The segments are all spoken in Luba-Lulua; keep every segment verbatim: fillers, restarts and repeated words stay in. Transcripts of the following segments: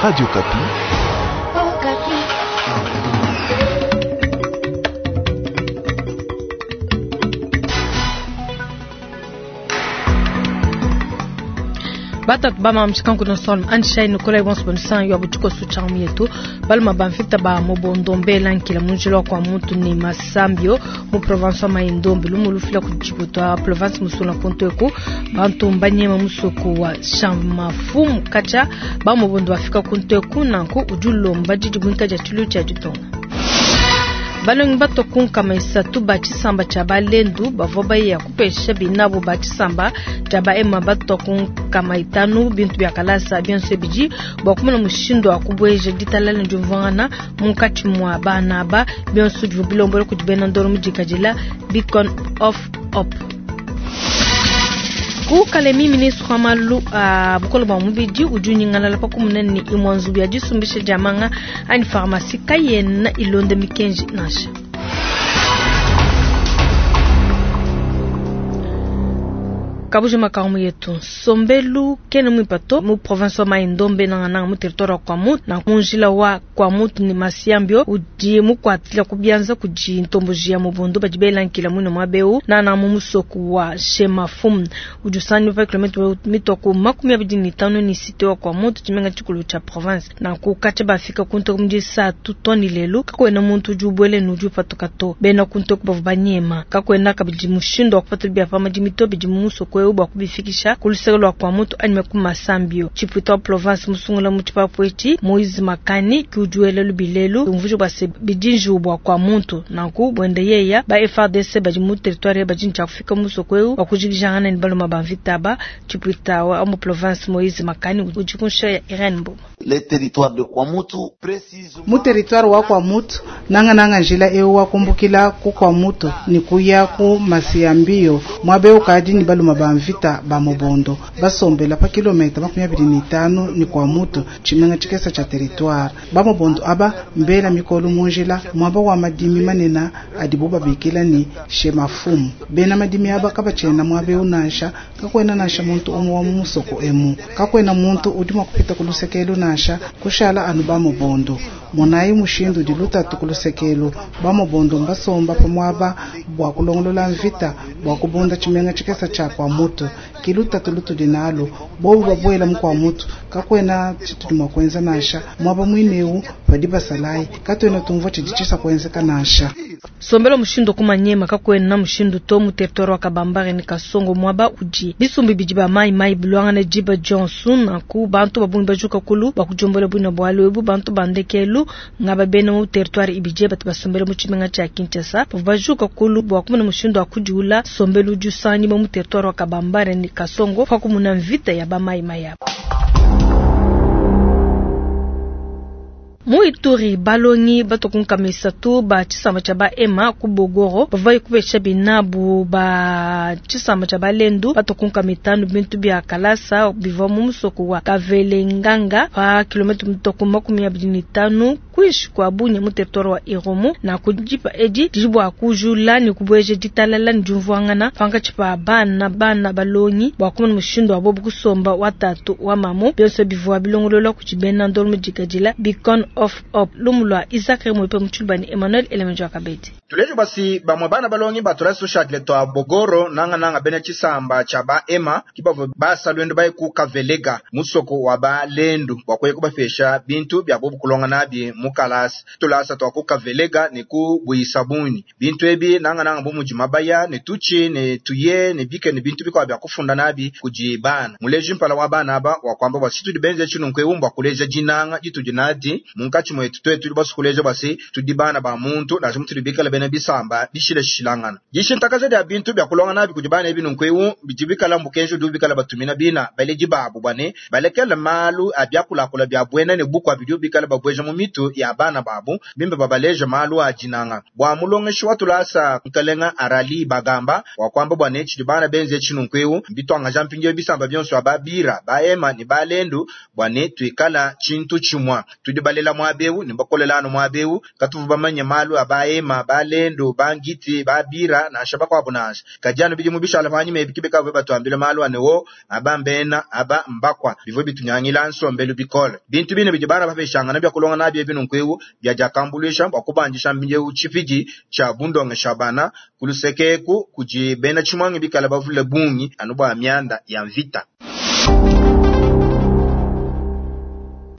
Radio Okapi. Batatu ba mshikanku na sol anshai nikolai bonso bonsan yo butuko su chamu yetu baluma bamfita ba mobondombe lankila munjilo kwa muntu ni masambio mu province wa Maindombe lumu lufila kujibutwa province musula kuntu eku bantu mbanyema musoko wa chamafumu kacha ba mobondo afika kuntu eku nanku ujulomba jijibunka ja tulu cha jitonga. Balongi batokunkama isatu ba tshisamba tshia balendu bavua baya kupesha binabo ba tshisamba tshia baema batokunkama itanu bintu bia kalasa bionso bidi bua kumona mushindu wa kubueja ditalala ne diumvuangana munkatshi mua bana aba bionso bivua bilombola kudi bena ndolo mu dikadila Beacon of Hope. Ku Kalemi, ministre wa malu a bukole bua mubidi udi unyingalala pa kumona ne imue nzubu ya disumbisha dia manga anyi pharmacie kayena ilonda mikenji nansha. Kabuji makamu yetu nsombelu kene muipato mu province wa Maindombe nanga mu territoire wa Kwamouth na munjila wa Kwamouth ni Masiambio udi mukwatila kubianza kudi ntomboji ya mobondo badi belankila mwina mwabeu na na mu musoko wa Shemafum udi usani pa kilometre mitoko makumi abidi ni tano ni site wa Kwamouth tshimenga tshikulu tsha province na kukacha bafika kunto mudi saa tutoni lelu kakwena muntu udi ubwele nudi upatuka to bena kunto kubavu banyema kakwena kabidi mushindo wa kupata bia pa madimito bidi mu musoko bwa kubifikisha kuluseke lwa Kwamouth anime ku Masambio. Chiputa wa province musungula mu tshipapu etshi Moise Makani kiujuele lubilelu umvujo bwa se bidinju bwa Kwamouth nanku bwende yeya ba F R D C badi mu territoire badi ntsha kufika musoko eu wa kujikijangana ni baloma ba mvita ba Chiputa wa mu province Moise Makani ujikunsha ya Irene Mboma. Le territoire de Kwamouth précisément mu territoire wa Kwamouth nanga nanga njila eu wa kumbukila ku Kwamouth ni kuya ku Masiambio mwabe ukadi ni baloma ba mvita ba mobondo basombela pa kilomita makumi abiri ni tano ni Kwamouth tshimenga tshikesa tsha territoire ba mobondo aba mbela mikolo munjila mwaba wa madimi manena adibo babikila ni Shemafumu bena madimi aba kabachena mwabe unansha kakwena nansha muntu umwe wa musoko emu kakwena muntu udi mwakupita kulusekelu nansha kushala anu ba mobondo monayi mushindu di lutatu kulusekelu ba mobondo mbasomba pa mwaba bwa kulongolola mvita bwa kubunda tshimenga tshikesa tsha Kwamouth kilutatu lutudi nalo bobu babwela mu Kwamouth kakwena tshitudi mwa kwenza nansha mwaba mwineu badi basalayi katwena tumvua tshidi tshisa kwenzeka nansha. Sombelo mushindu kumanyema kakwena mushindu to mu territoire wa Kabambare ni Kasongo mwaba udi bisumbi bidi ba mai mai bulwangana jiba Johnson naku bantu babungi bajuka kulu bakujombola bwina bwalo ebu bantu bandekelu ngaba bena mu territoire ibije batu basombela mu tshimenga tsha Kinshasa bajuka kulu bwa kumuna mushindu akudiula sombelo jusani mu territoire wa Kabambare ni Kasongo kwa kumuna mvita ya ba mai mai yabo. Mu Ituri balongi batokunka misatu ba tshisamba tsha ba ema ku Bogoro bavai kubesha binabu ba tshisamba tsha balendu batokunka mitanu bintu bia kalasa bivwa mu musoko wa Kavelenganga pa kilometre mitoku makumi abidi ni tanu kuishi kwa Bunia mu territoire wa Irumu na kujipa edi dijibwa kujula ni kubweje ditalala ni jumvuangana panga tshipa bana bana balongi bwa kumuna mushindo wa bobu kusomba watatu wa mamu bionso bivwa bilongolola kuchibena ndolo mujikajila Beacon of Hope lumulwa Isaac Mwepe Mutshulubani Emmanuel Elemenjo Akabedi. Tulejo basi bamwe bana balongi batulaso shakle to Bogoro nanga nanga bene tshisamba tsha ba ema kibavo basa lwendo baye ku Kavelega musoko wa ba lendu bwa kubafesha bintu bya bobu kulonga nabi mukalasi tulasa to ku Kavelega ni ku Buisabuni bintu ebi nanga nanga bumuji mabaya ne tuchi ne tuye ne bike ne bintu bikwa bya kufunda nabi kujibana muleji mpala wa bana aba wa kwamba basi tudi benze chinu nkwe umbwa kuleja jinanga jitu jinadi munkachi mwetu twetu basukuleja basi tudibana ba muntu na mutulibikala bene bisamba bishile shilangana jishintakaza dia bintu bya kulonga nabi kujibana ebinu nkwewu bijibikala mbukenjo dubikala batumina bina baleji babu bane balekela malu abyakulakula bya bwena ne bukwa bidio bikala babweja mu mitu ya bana babu bimbe babaleja malu ajinanga bwa mulongeshi watulasa nkalenga arali bagamba wa kwamba bwane chidibana benze chinu nkwewu bitwanga jampinge bisamba byonso ababira baema ni balendu bwane twikala chintu chimwa tudibalela mwabewu ni bakolelano mwabewu katuvu bamanye malu abaema balendu Lendu, ba Ngiti, ba Bira nansha bakuabu nansha. Kadi anu bidimu bishala panyima ebi ke bikavua batuambila malu a ne wo, aba mbena, aba mbakwa, bivua bitunyangila nsombelu bikole. Bintu bine bidi bana bapeshangana bia kulonga nabi ebi nunku eu biadiakambuluisha bua kubandisha mpindieu tshipidi tshia bundongesha bana ku luseke eku kudi bena tshimuangi bikala bavule bungi anu bua mianda ya mvita.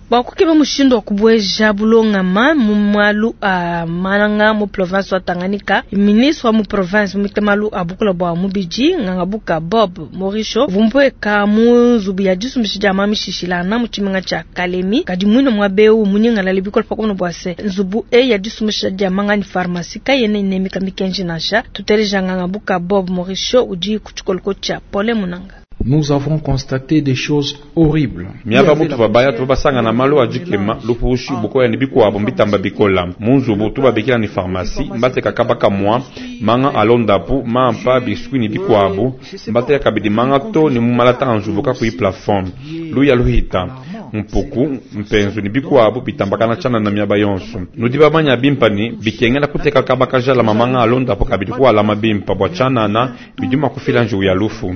Bua kukeba mushindu wa kubueja bulongama mu malu a manga mu province wa Tanganyika, ministre wa mu province muite malu a bukula bua mubidi Ngangabuka Bob Morisho vumpueka mu nzubu ya disumbisha dia mamishishilana mu tshimenga tshia Kalemi. Kadi muine muaba eu munyingalale bikole pakumona bua se nzubu eyi ya disumbisha dia manga ni pharmacie kayena inemeka mikenji nansha. Tuteleja Ngangabuka Bob Morisho udi ku tshikoloko tshia Paulin Munanga. Nous avons constaté des choses horribles. Miaba mutu babaya tuba basangana malu a dikema lupushi bukoya ni bikuabo mbitamba bikola munzubu tubabikila ni pharmacie mbateka kabaka mwa manga alondapu mampa biscuit ni bikuabo mbateka kabidi manga to ni mumalata anzubu kakui plafond luya luhita mpuku mpenzu ni bikuabo bitambakana chana na miaba yonso nudi bamanya bimpa ni bikengela kuteka kabaka jala mamanga alondapu kabidi kualama bimpa bwa chanana bidima kufila nju ya lufu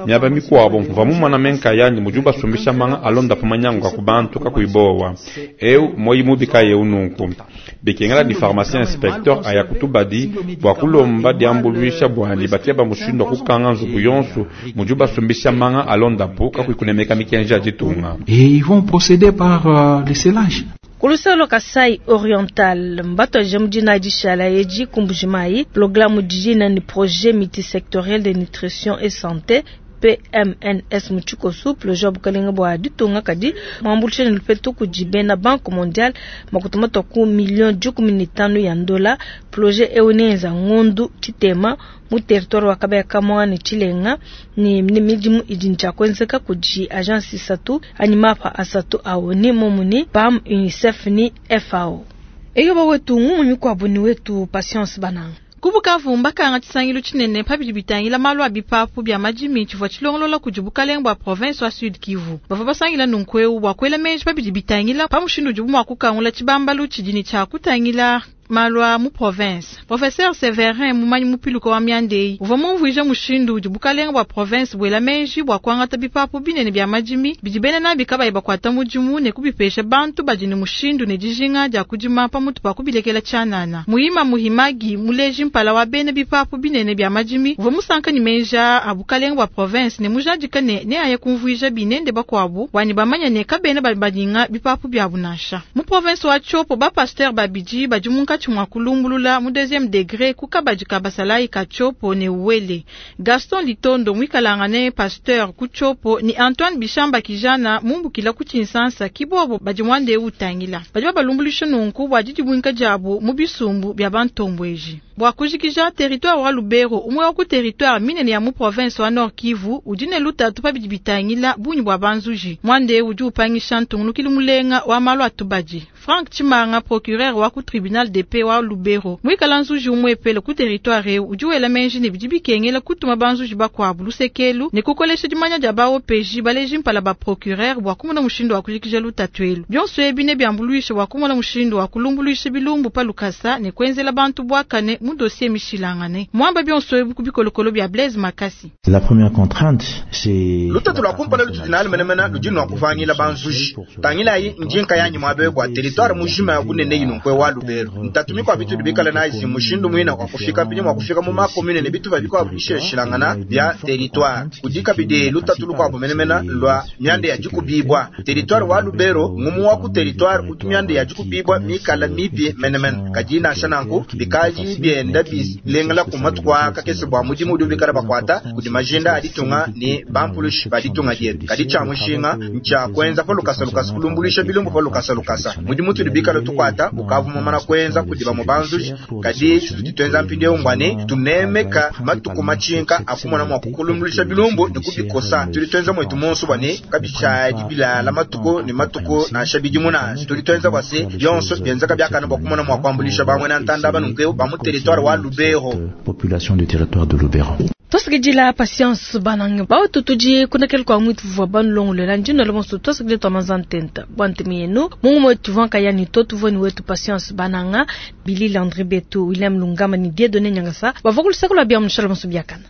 miaba mikuabo mva mumwana menka yanyi muju basumbisha manga alonda pumanyangu ku bantu kakuibowa eu moyi mubika yeu nunku bikengela di pharmacien inspecteur aya kutubadi bwa kulomba diambuluisha bwani batia bamushindo kukanga nzubu yonso muju basumbisha manga alonda pu kakuikunemeka mikenji ya ditunga. Et ils vont procéder par euh, le scellage. Kulusalo Kasai Oriental mbato jamudina dishala yeji kumbujimai programme dijina ni projet multisectoriel de nutrition et santé P M N S muchikosu projet bukalenga bwa ditunga kadi mwambulishe ni lupetu kujibena Banque Mondiale makutuma toku million dikumi ni tano ya ndola projet eunenza ngondu chitema mu territoire wa Kabaya Kamwa ni Chilenga ni, ni midimu idincha kwenzeka kuji agence isatu animapa asatu au ni momuni P A M UNICEF ni F A O. Eyo ba wetu ngumu mikwabu ni wetu Patience Bananga. Kubukavu mbakanga tshisangilu tshinene pabidi bitangila malu a bipapu bia madimi tshivua tshilongolola kudi bukalenge bua province wa Sud Kivu. Bavua basangila nunku eu bua kuela menji pabidi bitangila pa mushindu udibu mua kukangula tshibambalu tshidi tshia kutangila malu a mu province. Professeur Severin mumanyi mupiluka wa miandei uvua mumvuija mushindu udi bukalenge bua province buela menji bua kuangata bipapu binene bia madimi bidi bena nabi kabayi bakuata mudimu ne kubipesha bantu badi ne mushindu ne dijinga dia kudima pamutu pa kubilekela tshianana. Muhima muhimagi muleji mpala wa bena bipapu binene bia madimi uvua musanka ne menja a bukalenge bua province ne mujadika ne ne aya kumvuija binende bakuabu wani bamanya ne kabena badinga bipapu biabu nansha. Mu province wa Tshopo ba pasteur babidi badi munkatshi mwa kulumbulula mu deuxième degré kukabadi kabasalai ka Tshopo ne Uwele. Gaston Litondo mwikalangane pasteur ku Tshopo ni Antoine Bishamba kijana mumbukila ku Tshinsansa kibobo badi mwande utangila. Badi babalumbulisha nunku bua didibwinka diabu mu bisumbu bia bantombweji. Bua kujikija territoire wa Lubero umwe wa ku territoire minene ya mu province wa Nord Kivu udine lutatu pabidi bitangila bunyi bua banzuji. Mwande udi upangisha ntungunukili mulenga wa malu atubadi. Frank Chimanga procureur wa ku tribunal de paix wa Lubero mwikala nzuji umwepele ku territoire eu udi wela menji ne bidi bikengela kutuma banzuji bakuabu lusekelu ne kukolesha dimanya dia ba O P J baleji mpala ba procureur bua kumona mushindu wa kujikija lutatu elu. Bionso ebi ne biambuluisha bua kumona mushindu wa kulumbuluisha bilumbu pa lukasa ne kuenzela bantu bwakane mu dossier mishilangane. Mwamba bionso ebi ku bikolokolo bia Blaise Makasi. La première contrainte c'est lutatu lwa kumpala lutudinali menemene ludi nwa kuvangila banzuji. Tangilayi njinka yanyi mwabe bua territoire mujima ya kunene ino nkwe wa Lubero. Ntatu mikwa bitu bikala na izi mushindu mwina kwa kufika mpinyi mwa kufika mu makomune ne bitu babikwa bisheshilangana bya territoire. Kudika bide lutatu lukwa bumenemena lwa myande ya jikubibwa. Territoire wa Lubero ngumu wa ku territoire kutu myande ya jikubibwa mikala mibi menemena. Kajina shananku bikaji byenda bilengela kumatukwa kakese bwa mudimu udi bikala bakwata kudi majinda aditunga ni bampulushi baditunga dietu. Kadi cha mushinga ncha kwenza pa lukasa lukasa kulumbulisha bilumbu pa lukasa lukasa. Mudimu tudi bikala tukwata bukavu mumana kwenza kudi ba mubanzuji kadi tutwenza mpinde ungwane tunemeka matuku machinka akumona mwa kukulumbulisha bilumbu ni kubikosa. Tulitwenza mwetu monso bwane kabisha dibila la matuku ni matuku na shabidi muna. Tulitwenza bwase byonso byenzaka byakana bwa kumona mwa kwambulisha bamwe na ntanda banunke ba mu territoire wa Lubero. Population du territoire de Lubero. Tuasakidila Patience Banange bautu tudi kunakela kwa mwitu vua banulongolela ndino la tuasakidila twa manzantenta bwa ntemi yenu mungu mwetu tuvua nkayani to tuvua ni wetu Patience Bananga Billy Landry Betu William Lungama ni Dieudonné Nyangasa bavua kulusaka lwa bia mushala bonso biakana.